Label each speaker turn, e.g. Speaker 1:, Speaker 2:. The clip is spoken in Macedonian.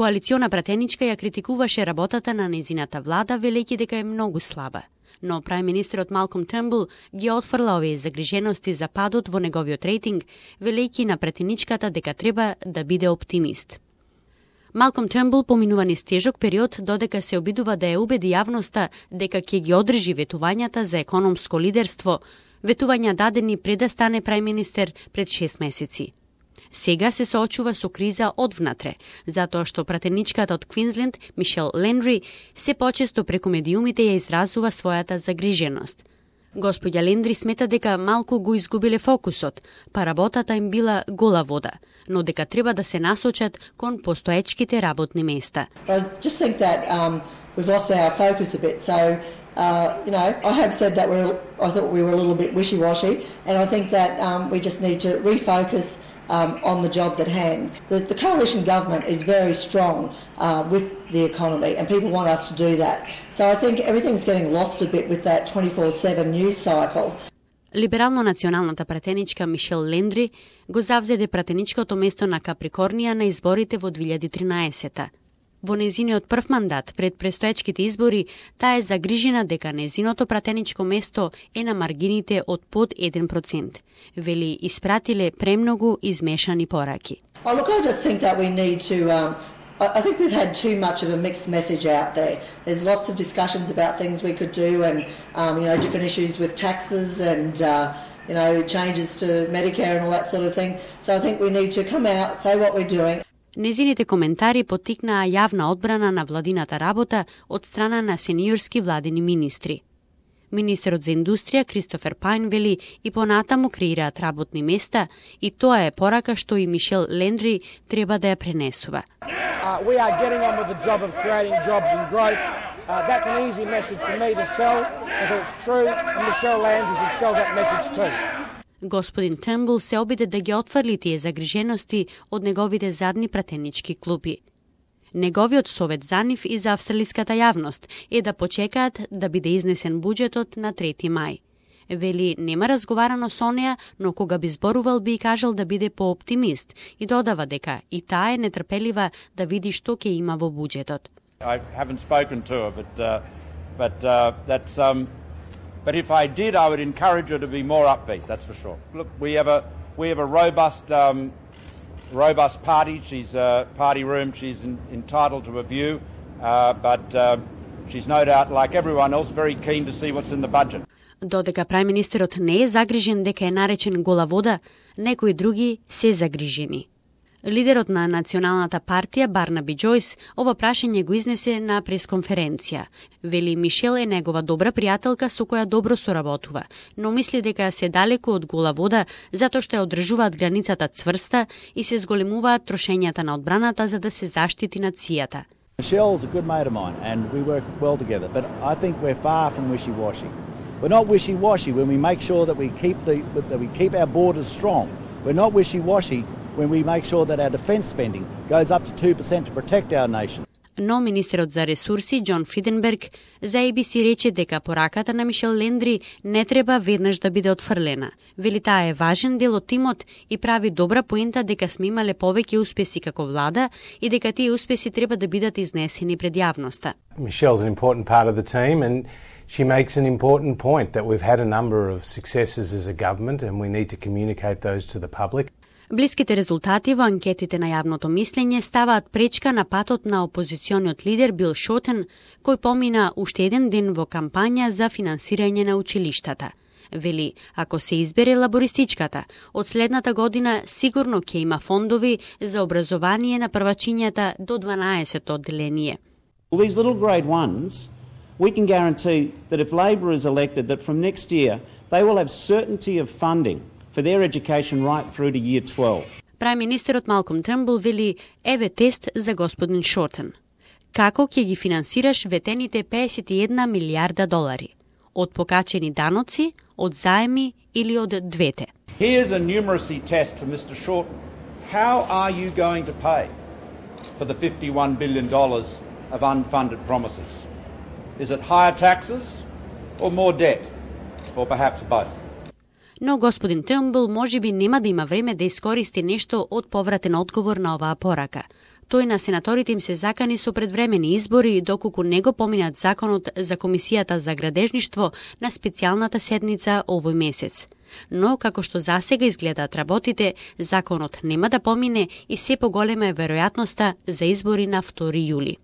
Speaker 1: Коалициона пратеничка ја критикуваше работата на незината влада, велејќи дека е многу слаба. Но прајм-министерот Малком Трнбул ги отфрла овие загрижености за падот во неговиот рейтинг, велејќи на пратеничката дека треба да биде оптимист. Малком Трнбул поминува низ тежок период, додека се обидува да ја убеди јавноста дека ќе ги одржи ветувањата за економско лидерство, ветувања дадени пред да стане прајм-министер пред 6 месеци. Сега се соочува со криза одвнатре, затоа што пратеничката од Квинсленд, Мишел Лендри, се почесто преку медиумите ја изразува својата загриженост. Господја Лендри смета дека малку го изгубиле фокусот, па работата им била гола вода, но дека треба да се насочат кон постоечките работни места.
Speaker 2: We've lost our focus a bit. So, I have said that I thought we were a little bit wishy-washy, and I think that we just need to refocus on the jobs at hand. The coalition government is very strong with the economy, and people want us to do that. So I think everything's getting lost a bit with that 24/7 news cycle.
Speaker 1: Либерално-националната пратеничка Мишел Лендри го завзеде пратеничкото место на Каприкорнија на изборите во 2013-та. Во незиниот прв мандат пред престоечките избори, таа е загрижена дека незиното пратеничко место е на маргините од под 1%. Вели, испратиле премногу измешани пораки.
Speaker 2: Look, I just think that we need to I think we've had too much of a mixed message out there. There's lots of discussions about things we could do and different issues with taxes and changes to Medicare and all that sort of thing. So I think we need to come out, say what we're doing.
Speaker 1: Незините коментари поттикнаа јавна одбрана на владината работа од страна на сениорски владини министри. Министерот за индустрија Кристофер Пајн вели и понатаму креираат работни места и тоа е порака што и Мишел Лендри треба да ја пренесува.
Speaker 3: We are getting on with the job of creating jobs and growth. That's an easy message for me to sell. If it's true, and Michelle Landry should sell that message too.
Speaker 1: Господин Трнбул се обиде да ги отфрли тие загрижености од неговите задни пратенички клупи. Неговиот совет за нив и за австралиската јавност е да почекаат да биде изнесен буџетот на 3 мај. Вели, нема разговарано со неа, но кога би зборувал би кажал да биде пооптимист и додава дека и таа е нетрпелива да види што ќе има во буџетот.
Speaker 4: I haven't spoken to her, but if I did, I would encourage her to be more upbeat. That's for sure. Look, we have a robust party. She's a party room. She's entitled to a view, but she's no doubt, like everyone else, very keen to see what's in the budget.
Speaker 1: Додека прајм-министерот не е загрижен дека е наречен гола вода, некои други се загрижени. Лидерот на Националната партија Барнаби Џојс ова прашање го изнесе на пресконференција. Вели, Мишел е негова добра пријателка со која добро соработува, но мисли дека се далеку од гола вода затоа што ја одржуваат границата цврста и се зголемуваат трошењата на одбраната за да се заштити нацијата.
Speaker 5: Michelle's a good mate of mine and we work well together, but I think we're far from wishy-washy. We're not wishy-washy when we make sure that we keep our borders strong. We're not wishy-washy when we make sure that our defence spending goes up to 2% to protect our nation.
Speaker 1: Но министерот за ресурси Џон Фриденберг за ABC рече дека пораката на Мишел Лендри не треба веднаш да биде отфрлена. Вели, таа е важен дел од тимот и прави добра поента дека сме имале повеќе успеси како влада и дека тие успеси треба да бидат изнесени пред јавноста.
Speaker 6: Michelle's an important part of the team and she makes an important point that we've had a number of successes as a government and we need to communicate those to the public.
Speaker 1: Блиските резултати во анкетите на јавното мислење ставаат пречка на патот на опозициониот лидер Бил Шотен, кој помина уште еден ден во кампања за финансирање на училиштата. Вели, ако се избере лабористичката, од следната година сигурно ќе има фондови за образование на првачињата до 12-то одделение.
Speaker 7: Well, these little grade ones, we can guarantee that if Labor is elected, that from next year they will have certainty of funding for their education right through to year 12.
Speaker 1: Прајм-министерот Малком Трнбул вели, еве тест за господин Шортен. Како ќе ги финансираш ветените 51 милиарда долари? Од покачени даноци, од заеми или од двете?
Speaker 4: Here's a numeracy test for Mr. Shorten. How are you going to pay for the $51 billion of unfunded promises? Is it higher taxes or more debt? Or perhaps both?
Speaker 1: Но господин Трнбул можеби нема да има време да искористи нешто од повратен одговор на оваа порака. Тој на сенаторите им се закани со предвремени избори доколку не го поминат законот за Комисијата за градежништво на специјалната седница овој месец. Но, како што засега изгледаат работите, законот нема да помине и се поголема е веројатноста за избори на 2 јули.